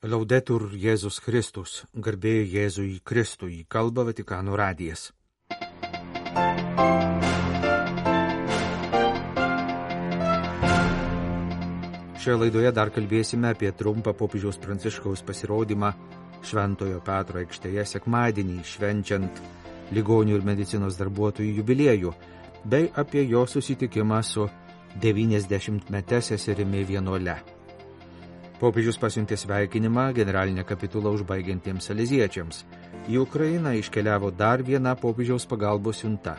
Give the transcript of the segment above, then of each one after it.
Laudetur Jėzus Kristus, garbė Jėzui Kristui, kalba Vatikano radijas. Šioje laidoje dar kalbėsime apie trumpą popiežiaus Pranciškaus pasirodymą Šventojo Petro aikštėje sekmadienį, švenčiant ligonių ir medicinos darbuotojų jubiliejų, bei apie jo susitikimą su 90-mete seserimi vienuole. Popiežius pasiuntė sveikinimą generalinę kapitulą užbaigiantiems saleziečiams. Į Ukrainą iškeliavo dar viena popiežiaus pagalbos siunta.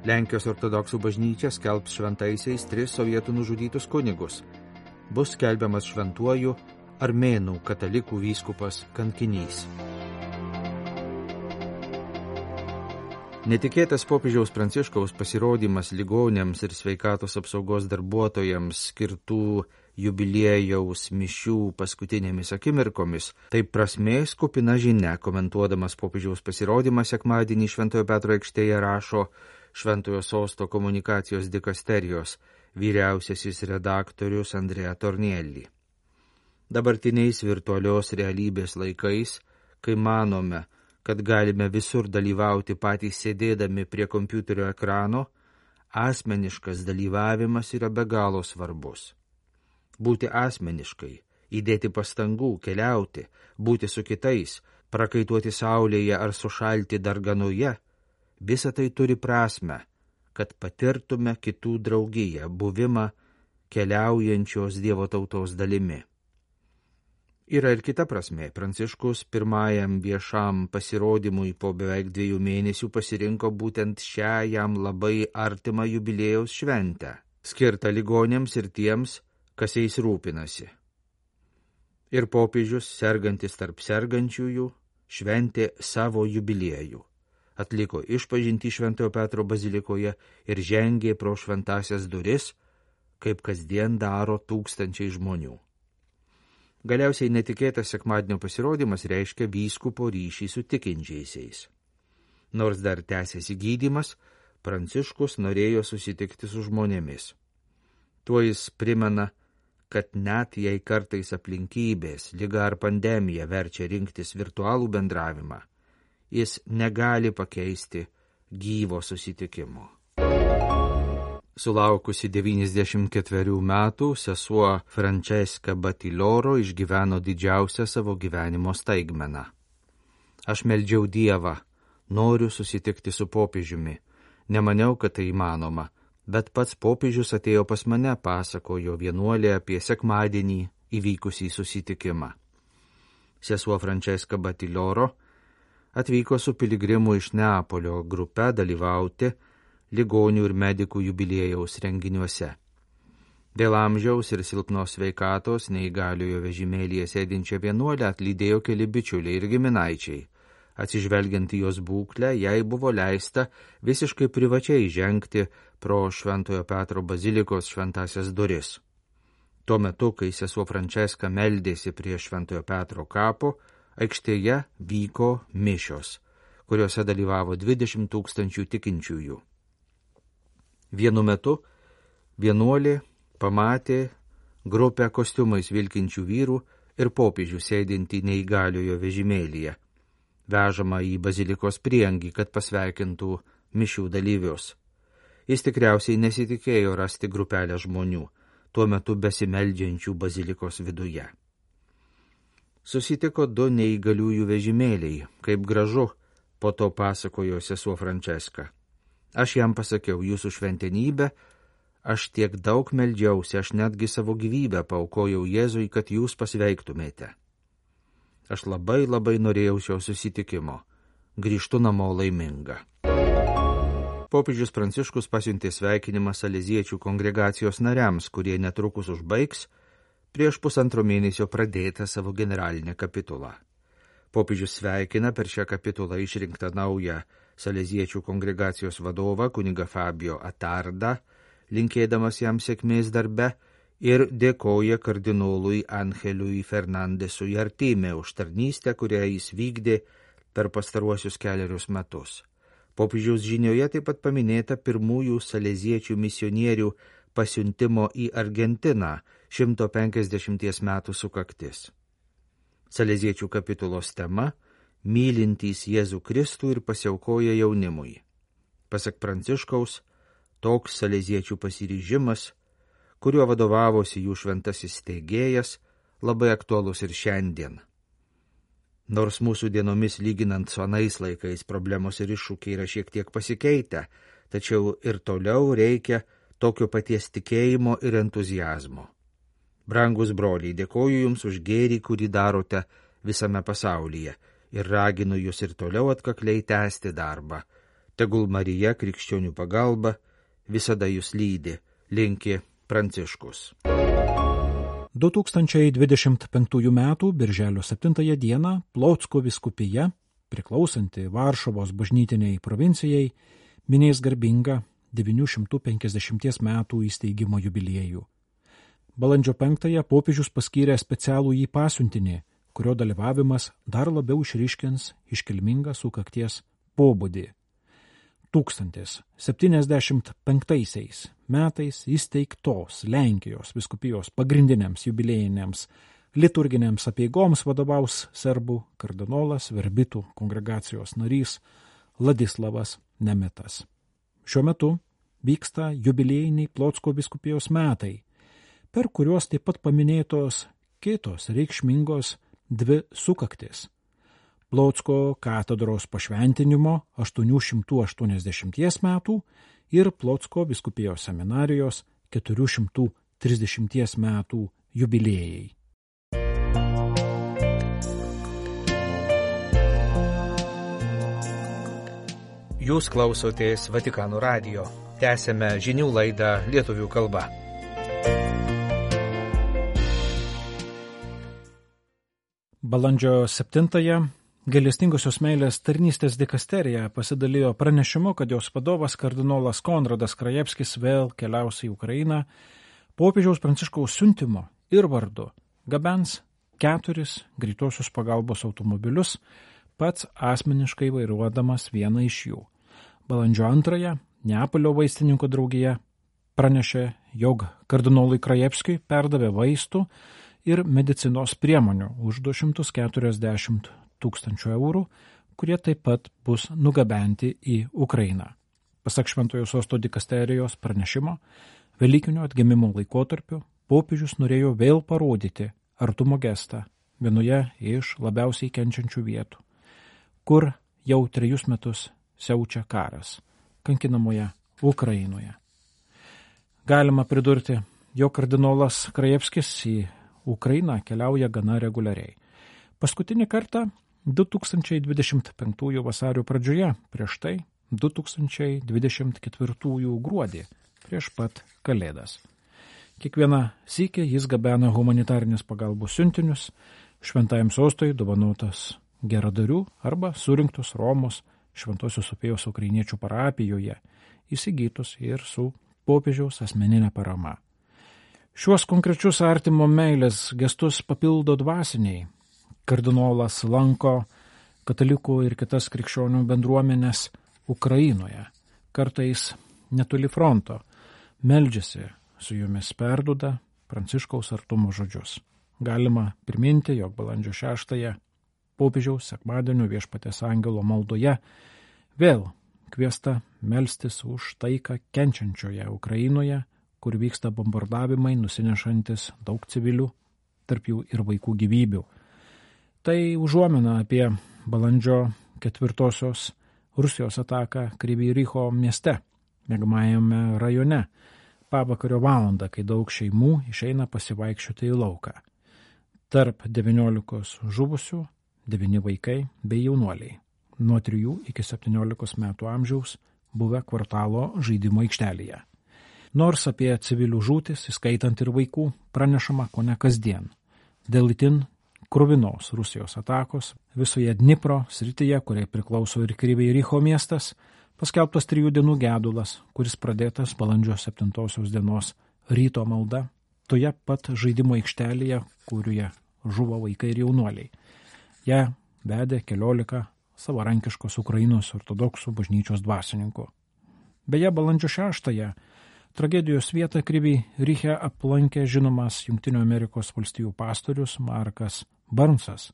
Lenkijos ortodoksų bažnyčia skelbs šventaisiais 3 sovietų nužudytus kunigus. Bus skelbiamas šventuoju armėnų katalikų vyskupas kankinys. Netikėtas popiežiaus Pranciškaus pasirodymas ligoniams ir sveikatos apsaugos darbuotojams skirtų jubiliejaus mišių paskutinėmis akimirkomis, taip prasmės kupina žinia, komentuodamas popiežiaus pasirodymą sekmadienį Šventojo Petro aikštėje rašo Šventojo sosto komunikacijos dikasterijos vyriausiasis redaktorius Andrea Tornielli. Dabartiniais virtualios realybės laikais, kai manome, kad galime visur dalyvauti patys sėdėdami prie kompiuterio ekrano, asmeniškas dalyvavimas yra be galo svarbus. Būti asmeniškai, įdėti pastangų, keliauti, būti su kitais, prakaituoti saulėje ar sušalti darganoje, visa tai turi prasmę, kad patirtume kitų draugiją, buvimą keliaujančios Dievo tautos dalimi. Yra ir kita prasmė. Pranciškus pirmajam viešam pasirodymui po beveik 2 mėnesių pasirinko būtent šią jam labai artimą jubiliejaus šventę, skirtą ligoniams ir tiems, kas jais rūpinasi. Ir popiežius, sergantis tarp sergančiųjų, šventė savo jubiliejų, atliko išpažintį Šventojo Petro bazilikoje ir žengė pro šventąsias duris, kaip kasdien daro tūkstančiai žmonių. Galiausiai netikėtas sekmadienio pasirodymas reiškia vyskupo ryšį su tikinčiaisiais. Nors dar tęsiasi gydymas, Pranciškus norėjo susitikti su žmonėmis. Tuo jis primena, kad net jei kartais aplinkybės, liga ar pandemija verčia rinktis virtualų bendravimą, jis negali pakeisti gyvo susitikimo. Sulaukusi 94 metų, sesuo Francesca Battiloro išgyveno didžiausią savo gyvenimo staigmeną. Aš meldžiau Dievą, noriu susitikti su popiežiumi. Nemaniau, kad tai įmanoma, bet pats popiežius atėjo pas mane, pasakojo vienuolė apie sekmadienį įvykusį susitikimą. Sesuo Francesca Battiloro atvyko su piligrimų iš Neapolio grupe dalyvauti ligonių ir medikų jubiliejaus renginiuose. Dėl amžiaus ir silpnos sveikatos neįgaliojo vežimėlyje sėdinčią vienuolę atlydėjo keli bičiuliai ir giminaičiai. Atsižvelgiant į jos būklę, jai buvo leista visiškai privačiai žengti pro Šventojo Petro bazilikos šventąsias duris. Tuo metu, kai sesuo Franceska meldėsi prie Šventojo Petro kapo, aikštėje vyko mišios, kuriuose dalyvavo 20 000 tikinčiųjų. Vienu metu vienuolė pamatė grupę kostiumais vilkinčių vyrų ir popiežių sėdintį neįgaliojo vežimėlyje, vežama į bazilikos prieangį, kad pasveikintų mišių dalyvius. Jis tikriausiai nesitikėjo rasti grupelę žmonių, tuo metu besimeldžiančių bazilikos viduje. Susitiko 2 neįgaliųjų vežimėliai, kaip gražu, po to pasakojo sesuo Franceska. Aš jam pasakiau, jūsų šventenybė, aš tiek daug meldžiausi, aš netgi savo gyvybę paaukojau Jėzui, kad jūs pasveiktumėte. Aš labai norėjau šio susitikimo. Grįžtu namo laiminga. Popiežius Pranciškus pasiuntė sveikinimą saleziečių kongregacijos nariams, kurie netrukus užbaigs prieš 1,5 mėnesio pradėtą savo generalinę kapitulą. Popiežius sveikina per šią kapitulą išrinktą naują saleziečių kongregacijos vadovą kunigą Fabio Atardą, linkėdamas jam sėkmės darbe, ir dėkoja kardinolui Angeliui Fernandesui Artime už tarnystę, kurią jis vykdė per pastaruosius 4 metus. Popiežiaus žinioje taip pat paminėta pirmųjų saleziečių misionierių pasiuntimo į Argentiną 150 metų sukaktis. Saleziečių kapitulos tema – mylintys Jėzų Kristų ir pasiaukoja jaunimui. Pasak Pranciškaus, toks saleziečių pasiryžimas, kuriuo vadovavosi jų šventasis steigėjas, labai aktualus ir šiandien. Nors mūsų dienomis lyginant su anais laikais problemos ir iššūkiai yra šiek tiek pasikeitę, tačiau ir toliau reikia tokio paties tikėjimo ir entuziazmo. Brangus broliai, dėkoju Jums už gėrį, kurį darote visame pasaulyje ir raginu Jūs ir toliau atkakliai tęsti darbą. Tegul Marija krikščionių pagalba visada Jūs lydi, linki Pranciškus. 2025 m. birželio 7 d. Plocko vyskupija, priklausanti Varšuvos bažnytiniai provincijai, minės garbingą 950 metų įsteigimo jubiliejų. Balandžio 5 popiežius paskyrė specialų jį pasiuntinį, kurio dalyvavimas dar labiau išryškins iškilmingą sukakties pobūdį. 1075 metais įsteigtos Lenkijos vyskupijos pagrindiniams jubiliejiniams liturginėms apeigoms vadovaus serbų kardinolas Verbitų kongregacijos narys Ladislavas Nemetas. Šiuo metu vyksta jubiliejiniai Plocko vyskupijos metai, per kuriuos taip pat paminėtos kitos reikšmingos dvi sukaktis. Plocko katedros pašventinimo 880 metų ir Plocko vyskupijos seminarijos 430 metų jubiliejai. Jūs klausotės Vatikano radijo. Tęsėme žinių laidą lietuvių kalba. Balandžio 7 Gailestingosios meilės tarnystės dikasterija pasidalijo pranešimu, kad jos vadovas kardinolas Konradas Krajevskis vėl keliaus į Ukrainą popiežiaus Pranciškaus siuntimo ir vardu gabens 4 greitosios pagalbos automobilius, pats asmeniškai vairuodamas vieną iš jų. Balandžio 2 Neapolio vaistininkų draugija pranešė, jog kardinolui Krajevskiui perdavė vaistų ir medicinos priemonių už 240 000 eurų, kurie taip pat bus nugabenti į Ukrainą. Pasak Šventojo Sosto dikasterijos pranešimo, Velykinio atgimimo laikotarpiu popiežius norėjo vėl parodyti artumo gestą vienoje iš labiausiai kenčiančių vietų, kur jau 3 metus siaučia karas, kankinamoje Ukrainoje. Galima pridurti, jog kardinolas Krajevskis į Ukrainą keliauja gana reguliariai. Paskutinį kartą 2025 vasario pradžioje, prieš tai 2024 gruodį, prieš pat Kalėdas. Kiekvieną sykį jis gabena humanitarinės pagalbos siuntinius, Šventajam Sostui dovanotas geradarių arba surinktus Romos Šventosios Sofijos ukrainiečių parapijoje, įsigytus ir su popiežiaus asmeninė parama. Šiuos konkrečius artimo meilės gestus papildo dvasiniai. Kardinolas lanko katalikų ir kitas krikščionių bendruomenės Ukrainoje, kartais netoli fronto, meldžiasi, su jomis perduoda Pranciškaus artumo žodžius. Galima priminti, jog balandžio 6 popiežiaus sekmadienio Viešpaties angelo maldoje vėl kviesta melstis už taiką kenčiančioje Ukrainoje, kur vyksta bombardavimai nusinešantis daug civilių, tarp jų ir vaikų gyvybių. Tai užuomina apie balandžio 4 Rusijos ataką Kryvyj Riho mieste, miegamajame rajone, pavakario valandą, kai daug šeimų išeina pasivaikščioti į lauką. Tarp 19 žuvusių 9 vaikai bei jaunuoliai, nuo 3 iki 17 metų amžiaus, buvę kvartalo žaidimo aikštelėje. Nors apie civilių žūtis, įskaitant ir vaikų, pranešama kone kasdien. Dėl itin kruvinos Rusijos atakos visoje Dnipro srityje, kuriai priklauso ir Kryvyj Riho miestas, paskelbtas 3 dienų gedulas, kuris pradėtas balandžio 7 dienos ryto malda, toje pat žaidimo aikštelėje, kurioje žuvo vaikai ir jaunuoliai. Ją vedė 14 savarankiškos Ukrainos ortodoksų bažnyčios dvasininkų. Beje, balandžio 6 tragedijos vietą Kryvyj Rihe aplankė žinomas Jungtinių Amerikos valstijų pastorius Markas Barnsas,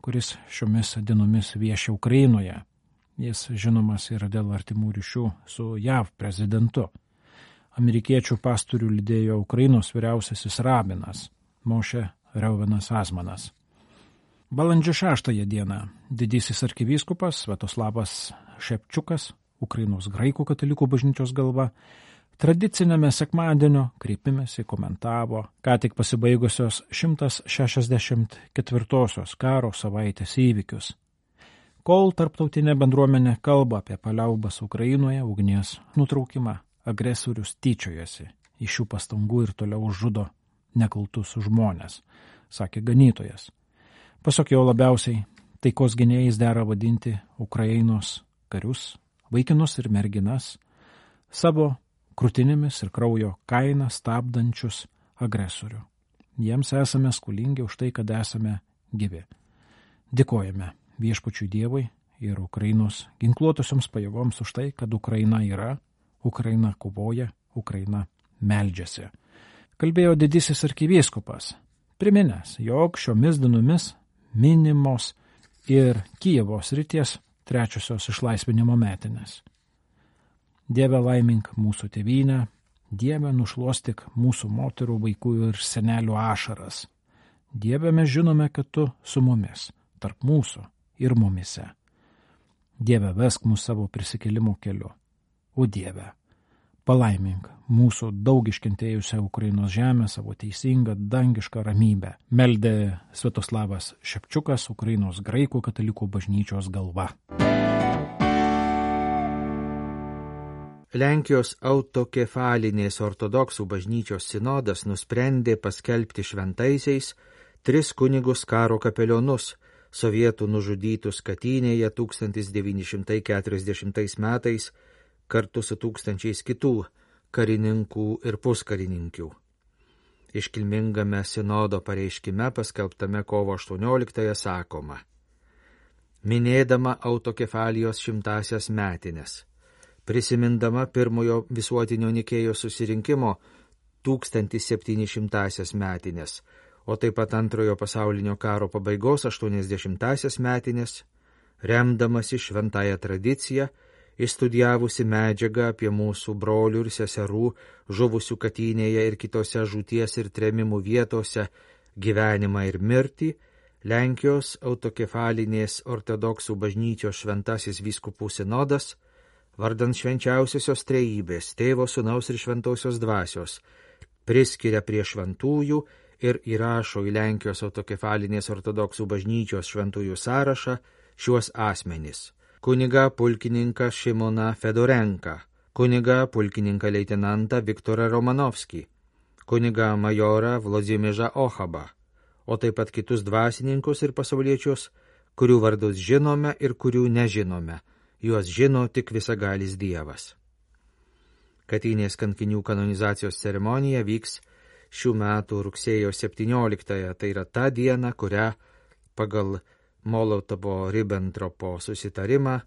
kuris šiomis dienomis vieši Ukrainoje. Jis žinomas yra dėl artimų ryšių su JAV prezidentu. Amerikiečių pastorių lydėjo Ukrainos vyriausiasis rabinas Moše Reuvenas Azmanas. Balandžio 6 dieną didysis arkivyskupas Sviatoslavas Šepčiukas, Ukrainos graikų katalikų bažnyčios galva, tradicinėme sekmadienio kreipimėsi komentavo ką tik pasibaigusios 164 karo savaitės įvykius. Kol tarptautinė bendruomenė kalba apie paliaubas Ukrainoje, ugnies nutraukimą, agresorius tyčiojasi iš šių pastangų ir toliau žudo nekaltus žmonės, sakė ganytojas. Pasak jo, labiausiai taikos gynėjais dera vadinti Ukrainos karius, vaikinus ir merginas, savo krūtinėmis ir kraujo kainą stabdančius agresorių. Jiems esame skolingi už tai, kad esame gyvi. Dėkojame Viešpačiui Dievui ir Ukrainos ginkluotosioms pajėgoms už tai, kad Ukraina yra, Ukraina kovoja, Ukraina meldžiasi. Kalbėjo didysis arkivyskupas, priminęs, jog šiomis dienomis minimos ir Kijevo srities 3 išlaisvinimo metinės. Dieve laimink mūsų tėvynę, Dieve nušluostyk mūsų moterų, vaikų ir senelių ašaras. Dieve mes žinome, kad tu su mumis, tarp mūsų ir mumise. Dieve vesk mūsų savo prisikėlimo keliu. O Dieve, palaimink mūsų daug iškentėjusią Ukrainos žemę savo teisingą dangišką ramybę, meldė Sviatoslavas Šepčiukas, Ukrainos graikų katalikų bažnyčios galva. Lenkijos autokefalinės ortodoksų bažnyčios sinodas nusprendė paskelbti šventaisiais 3 kunigus karo kapelionus, sovietų nužudytus Katynėje 1940 metais kartu su tūkstančiais kitų karininkų ir puskarininkių. Iškilmingame sinodo pareiškime paskelbtame kovo 18 sakoma: minėdama autokefalijos 100-asias metines, prisimindama pirmojo visuotinio Nikėjos susirinkimo 1700-asias metines, o taip pat antrojo pasaulinio karo pabaigos 80-asias metines, remdamasi šventąją tradiciją, išstudijavusi medžiagą apie mūsų brolių ir seserų žuvusių Katynėje ir kitose žūties ir trėmimų vietose gyvenimą ir mirtį, Lenkijos autokefalinės ortodoksų bažnyčios šventasis vyskupų sinodas, vardant švenčiausiosios trejybės, Tėvo, Sūnaus ir Šventosios dvasios, priskiria prie šventųjų ir įrašo į Lenkijos autokefalinės ortodoksų bažnyčios šventųjų sąrašą šiuos asmenys: kunigą pulkininką Šimoną Fedorenką, kunigą pulkininką leitenantą Viktorą Romanovskį, kunigą majorą Vladimiržą Ochabą, o taip pat kitus dvasininkus ir pasauliečius, kurių vardus žinome ir kurių nežinome, juos žino tik visagalis Dievas. Katynės kankinių kanonizacijos ceremonija vyks šių metų rugsėjo 17, tai yra ta diena, kurią pagal Molotovo-Ribbentropo susitarimą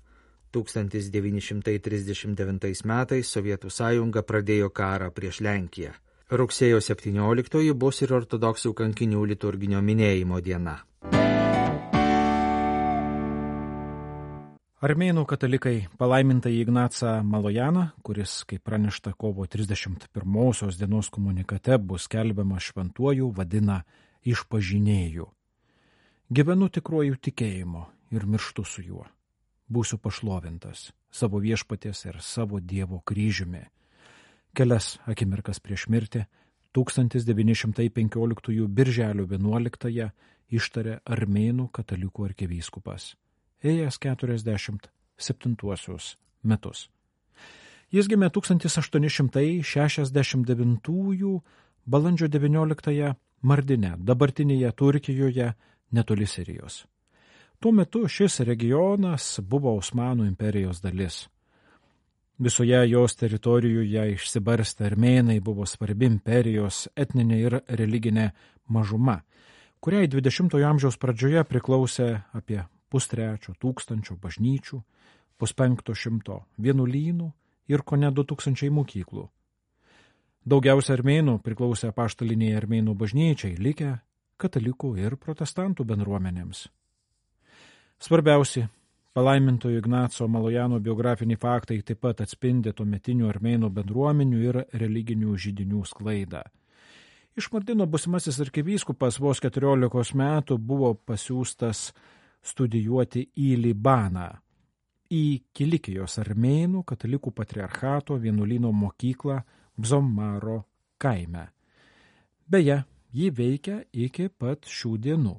1939 metais Sovietų sąjunga pradėjo karą prieš Lenkiją. Rugsėjo 17 bus ir ortodoksų kankinių liturginio minėjimo diena. Armėnų katalikai palaimintąjį Ignacą Malojaną, kuris, kaip pranešta kovo 31 dienos komunikate, bus skelbiamas šventuoju, vadina išpažinėju. Gyvenu tikruoju tikėjimu ir mirštu su juo. Būsiu pašlovintas savo viešpaties ir savo Dievo kryžiumi. Kelias akimirkas prieš mirtį 1915 birželio 11 ištarė Armėnų katalikų arkivyskupas, ėjęs 47 metus. Jis gimė 1869 balandžio 19 Mardine, dabartinėje Turkijoje, netoli Sirijos. Tuo metu šis regionas buvo Osmanų imperijos dalis. Visoje jos teritorijoje išsibarstę armėnai buvo svarbi imperijos etninė ir religinė mažuma, kuriai 20 amžiaus pradžioje priklausė apie 300 bažnyčių, 500 vienuolynų ir kone 2000 mokyklų. Daugiausia armėnų priklausė apaštaliniai armėnų bažnyčiai, likę katalikų ir protestantų bendruomenėms. Svarbiausi palaimintojo Ignaco Malojano biografiniai faktai taip pat atspindi tuometinių armėnų bendruomenių ir religinių židinių sklaidą. Iš Mardino būsimasis arkivyskupas vos 14 metų buvo pasiųstas studijuoti į Libaną, į Kilikijos armėnų katalikų patriarchato vienuolyno mokyklą Bzomaro kaime. Beje, ji veikia iki pat šių dienų.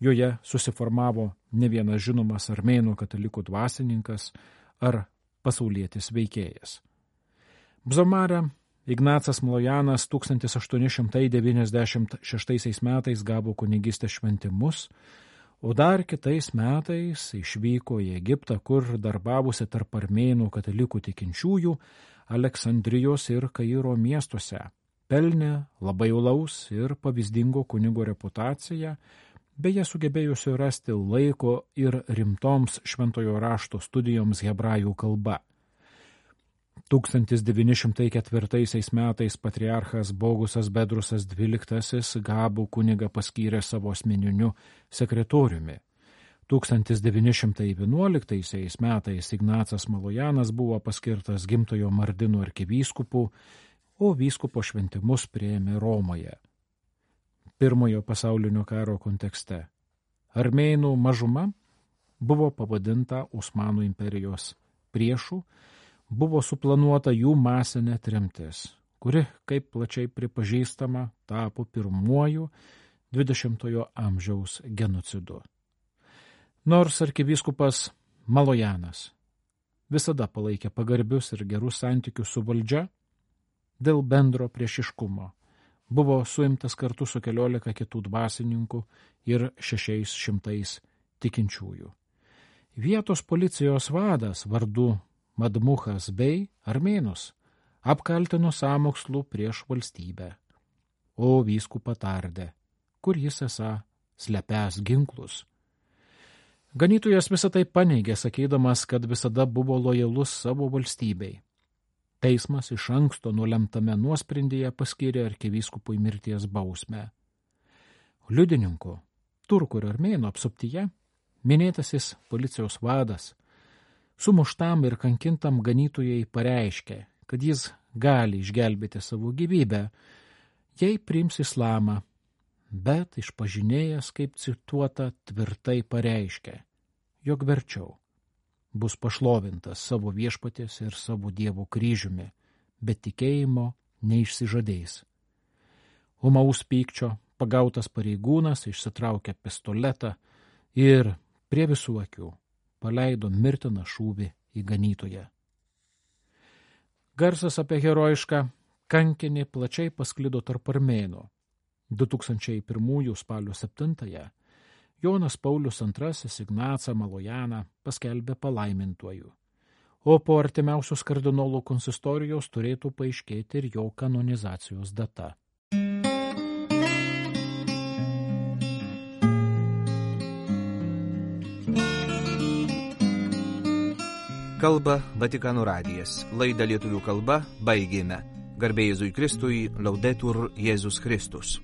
Joje susiformavo ne vienas žinomas armėnų katalikų dvasininkas ar pasaulietis veikėjas. Bzomare Ignacas Malojanas 1896 metais gavo kunigystės šventimus, o dar kitais metais išvyko į Egiptą, kur darbavosi tarp armėnų katalikų tikinčiųjų Aleksandrijos ir Kairo miestuose, pelnė labai uolaus ir pavyzdingo kunigo reputaciją, beje sugebėjusio rasti laiko ir rimtoms šventojo rašto studijoms hebrajų kalba. 1904 metais patriarchas Bogusas Bedrusas XII Gabų kunigą paskyrė savo asmeniniu sekretoriumi. 1911 metais Ignacas Malojanas buvo paskirtas gimtojo Mardino arkivyskupu, o vyskupo šventimus priėmė Romoje. Pirmojo pasaulinio karo kontekste armėnų mažuma buvo pavadinta Osmanų imperijos priešų, buvo suplanuota jų masinė tremtis, kuri, kaip plačiai pripažįstama, tapo pirmuoju 20-ojo amžiaus genocidu. Nors arkivyskupas Malojanas visada palaikė pagarbius ir gerus santykius su valdžia, dėl bendro priešiškumo buvo suimtas kartu su 14 kitų dvasininkų ir 600 tikinčiųjų. Vietos policijos vadas vardu Madmuchas bei armėnus apkaltino sąmokslų prieš valstybę, o vyskupą tardė, kur jis esą slepęs ginklus. Ganytojas visą tai paneigė, sakydamas, kad visada buvo lojalus savo valstybei. Teismas iš anksto nulemtame nuosprendyje paskyrė arkivyskupui mirties bausmę. Liudininku, turkų ir armėnų apsuptyje, minėtasis policijos vadas, sumuštam ir kankintam ganytojai pareiškė, kad jis gali išgelbėti savo gyvybę, jei priims islamą, bet išpažinėjęs, kaip cituota, tvirtai pareiškė, jog verčiau bus pašlovintas savo viešpaties ir savo Dievo kryžiumi, bet tikėjimo neišsižadės. Ūmaus pykčio pagautas pareigūnas išsitraukė pistoletą ir prie visų akių paleido mirtiną šūvį į ganytoją. Garsas apie herojišką kankinį plačiai pasklido tarp armėnų. 2001 spalio 7 Jonas Paulius II Ignacą Malojaną paskelbė palaimintuoju, o po artimiausios kardinolų konsistorijos turėtų paaiškėti ir jo kanonizacijos data. Kalba Vatikano radijas. Laidą lietuvių kalba baigėme. Garbė Jėzui Kristui, Laudetur Jėzus Kristus.